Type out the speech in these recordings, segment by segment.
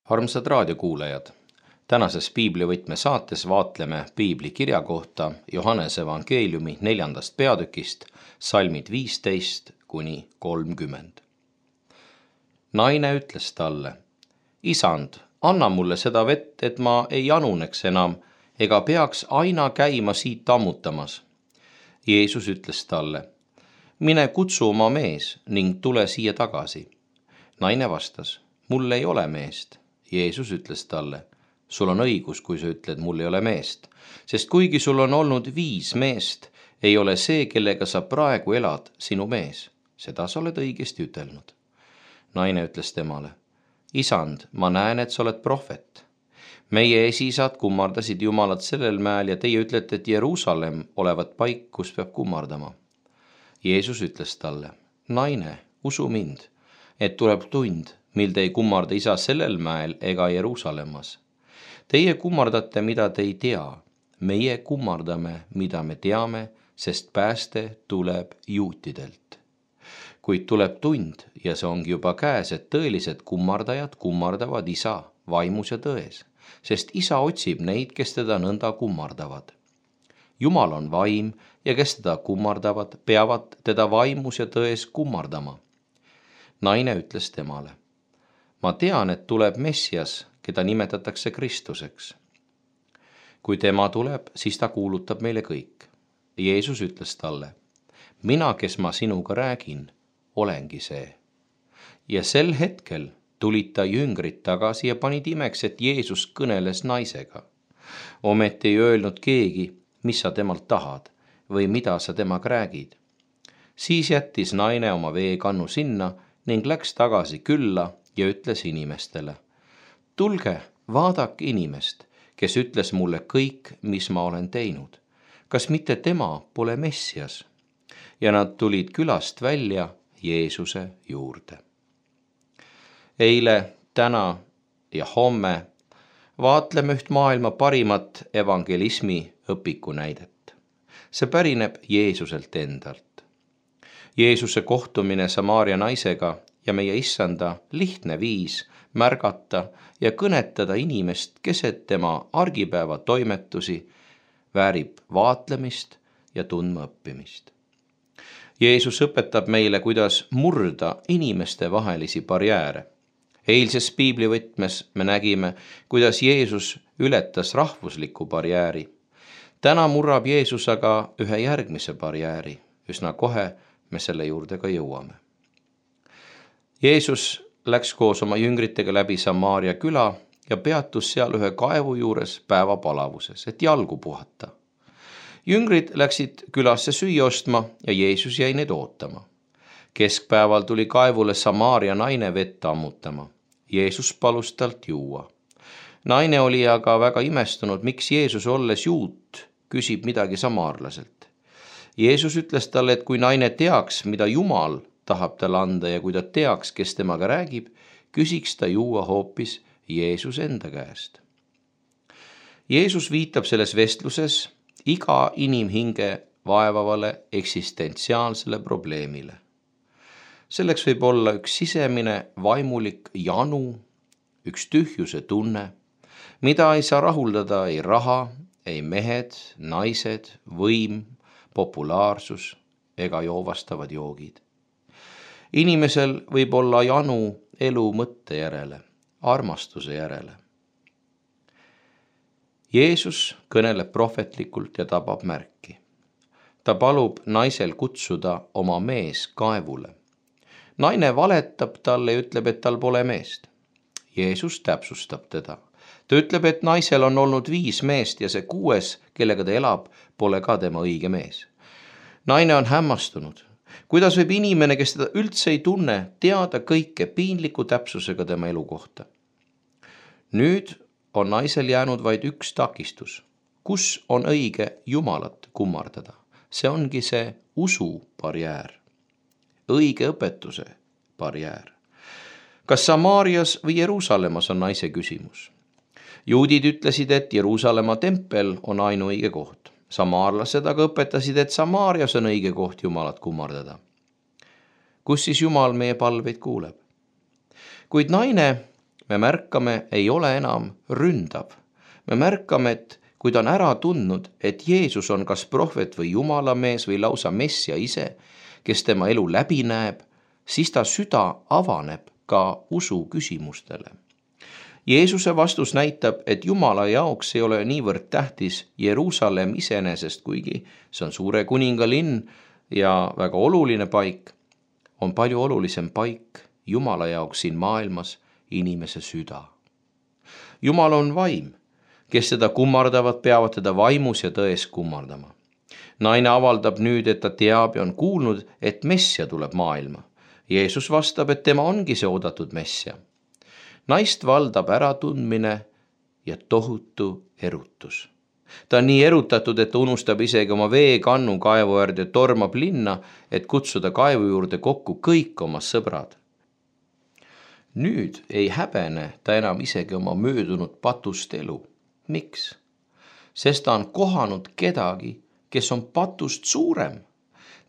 Armsad raadiokuulajad, tänases piiblivõtme saates vaatleme piibli kirja kohta Johannese evangeeliumi 4. peatükist, salmid 15–30. Naine ütles talle: Isand, anna mulle seda vett, et ma ei januneks enam ega peaks aina käima siit ammutamas. Jeesus ütles talle: Mine kutsu oma mees ning tule siia tagasi. Naine vastas: Mul ei ole meest. Jeesus ütles talle: Sul on õigus, kui sa ütled, mul ei ole meest, sest kuigi sul on olnud 5 meest, ei ole see, kellega sa praegu elad, sinu mees. Seda sa oled õigesti ütelnud. Naine ütles temale: Isand, ma näen, et sa oled prohvet. Meie esiisad kummardasid Jumalat sellel mäel ja teie ütlete, et Jeruusalemm olevat paik, kus peab kummardama. Jeesus ütles talle: Naine, usu mind, et tuleb tund, mil te ei kummarda isa sellel mäel ega Jeruusalemmas. Teie kummardate, mida te ei tea. Meie kummardame, mida me teame, sest pääste tuleb juutidelt. Kuid tuleb tund, ja see ongi juba käes, et tõelised kummardajad kummardavad isa vaimus ja tões, sest isa otsib neid, kes teda nõnda kummardavad. Jumal on vaim ja kes teda kummardavad, peavad teda vaimus ja tões kummardama. Naine ütles temale: Ma tean, et tuleb Messias, keda nimetatakse Kristuseks. Kui tema tuleb, siis ta kuulutab meile kõik. Jeesus ütles talle: Mina, kes ma sinuga räägin, olengi see. Ja sel hetkel tulid ta jüngrid tagasi ja panid imeks, et Jeesus kõneles naisega. Ometi ei öelnud keegi, mis sa temalt tahad või mida sa temaga räägid. Siis jättis naine oma veekannu sinna ning läks tagasi külla ja ütles inimestele: Tulge, vaadake inimest, kes ütles mulle kõik, mis ma olen teinud. Kas mitte tema pole Messias? Ja nad tulid külast välja Jeesuse juurde. Eile, täna ja homme vaatleme üht maailma parimat evangelismi õpiku näidet. See pärineb Jeesuselt endalt. Jeesuse kohtumine Samaaria naisega ja meie issanda lihtne viis märgata ja kõnetada inimest keset tema argipäeva toimetusi väärib vaatlemist ja tundma õppimist. Jeesus õpetab meile, kuidas murda inimeste vahelisi barjääre. Eilses piiblivõtmes me nägime, kuidas Jeesus ületas rahvusliku barjääri. Täna murrab Jeesus aga ühe järgmise barjääri. Üsna kohe me selle juurde ka jõuame. Jeesus läks koos oma jüngritega läbi Samaaria küla ja peatus seal ühe kaevu juures päevapalavuses, et jalgu puhata. Jüngrid läksid külasse süüa ostma ja Jeesus jäi neid ootama. Keskpäeval tuli kaevule Samaaria naine vett ammutama. Jeesus palus talt juua. Naine oli aga väga imestunud, miks Jeesus, olles juut, küsib midagi samaarlaselt. Jeesus ütles talle, et kui naine teaks, mida Jumal tahab talle anda ja kui ta teaks, kes temaga räägib, küsiks ta juua hoopis Jeesus enda käest. Jeesus viitab selles vestluses iga inimhinge vaevavale eksistentsiaalsele probleemile. Selleks võib olla üks sisemine vaimulik janu, üks tühjuse tunne, mida ei saa rahuldada ei raha, ei mehed, naised, võim, populaarsus ega joovastavad joogid. Inimesel võib olla janu elu mõtte järele, armastuse järele. Jeesus kõneleb prohvetlikult ja tabab märki. Ta palub naisel kutsuda oma mees kaevule. Naine valetab talle ja ütleb, et tal pole meest. Jeesus täpsustab teda. Ta ütleb, et naisel on olnud 5 meest ja see 6, kellega ta elab, pole ka tema õige mees. Naine on hämmastunud. Kuidas võib inimene, kes teda üldse ei tunne, teada kõike piinliku täpsusega tema elu kohta? Nüüd on naisel jäänud vaid üks takistus. Kus on õige Jumalat kummardada? See ongi see usu barjäär. Õige õpetuse barjäär. Kas Samaarias või Jeruusalemmas on naise küsimus? Juudid ütlesid, et Jeruusalemma tempel on ainuõige koht. Samaarlased aga õpetasid, et Samaarias on õige koht Jumalat kummardada. Kus siis Jumal meie palveid kuuleb? Kuid naine me märkame, ei ole enam ründav. Me märkame, et kui ta on ära tundnud, et Jeesus on kas prohvet või jumalamees või lausa messia ise, kes tema elu läbi näeb, siis ta süda avaneb ka usu küsimustele. Jeesuse vastus näitab, et Jumala jaoks ei ole niivõrd tähtis Jeruusalemm iseenesest, kuigi see on suure kuninga linn ja väga oluline paik, on palju olulisem paik Jumala jaoks siin maailmas inimese süda. Jumal on vaim, kes teda kummardavad, peavad teda vaimus ja tões kummardama. Naine avaldab nüüd, et ta teab ja on kuulnud, et messia tuleb maailma. Jeesus vastab, et tema ongi see oodatud messia. Naist valdab äratundmine ja tohutu erutus. Ta on nii erutatud, et ta unustab isegi oma veekannu kaevu äärde ja tormab linna, et kutsuda kaevu juurde kokku kõik oma sõbrad. Nüüd ei häbene ta enam isegi oma möödunud patust elu. Miks? Sest ta on kohanud kedagi, kes on patust suurem.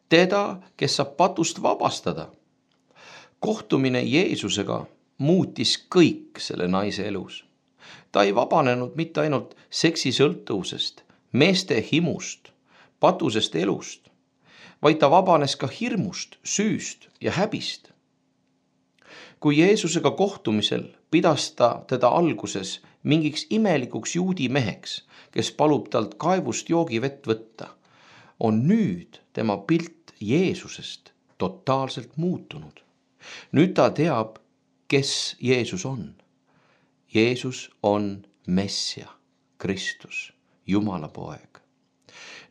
Teda, kes saab patust vabastada. Kohtumine Jeesusega muutis kõik selle naise elus. Ta ei vabanenud mitte ainult seksisõltuvusest, meeste himust, patusest elust, vaid ta vabanes ka hirmust, süüst ja häbist. Kui Jeesusega kohtumisel pidas ta teda alguses mingiks imelikuks juudi meheks, kes palub talt kaevust joogivett võtta, on nüüd tema pilt Jeesusest totaalselt muutunud. Nüüd ta teab, kes Jeesus on. Jeesus on messia, Kristus, Jumala poeg.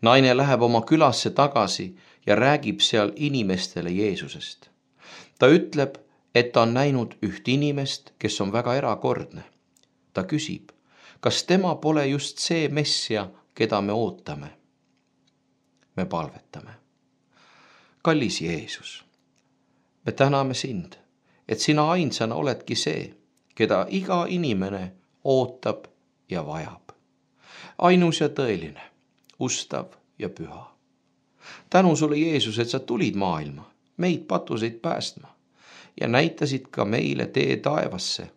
Naine läheb oma külasse tagasi ja räägib seal inimestele Jeesusest. Ta ütleb, et ta on näinud üht inimest, kes on väga erakordne. Ta küsib, kas tema pole just see messia, keda me ootame. Me palvetame. Kallis Jeesus, me täname sind, et sina ainsana oledki see, keda iga inimene ootab ja vajab. Ainus ja tõeline, ustav ja püha. Tänu sulle, Jeesus, et sa tulid maailma, meid patuseid päästma ja näitasid ka meile tee taevasse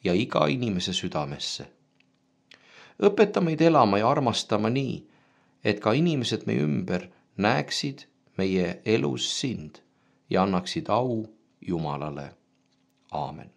ja iga inimese südamesse. Õpeta meid elama ja armastama nii, et ka inimesed meie ümber näeksid meie elus sind ja annaksid au Jumalale. Aamen.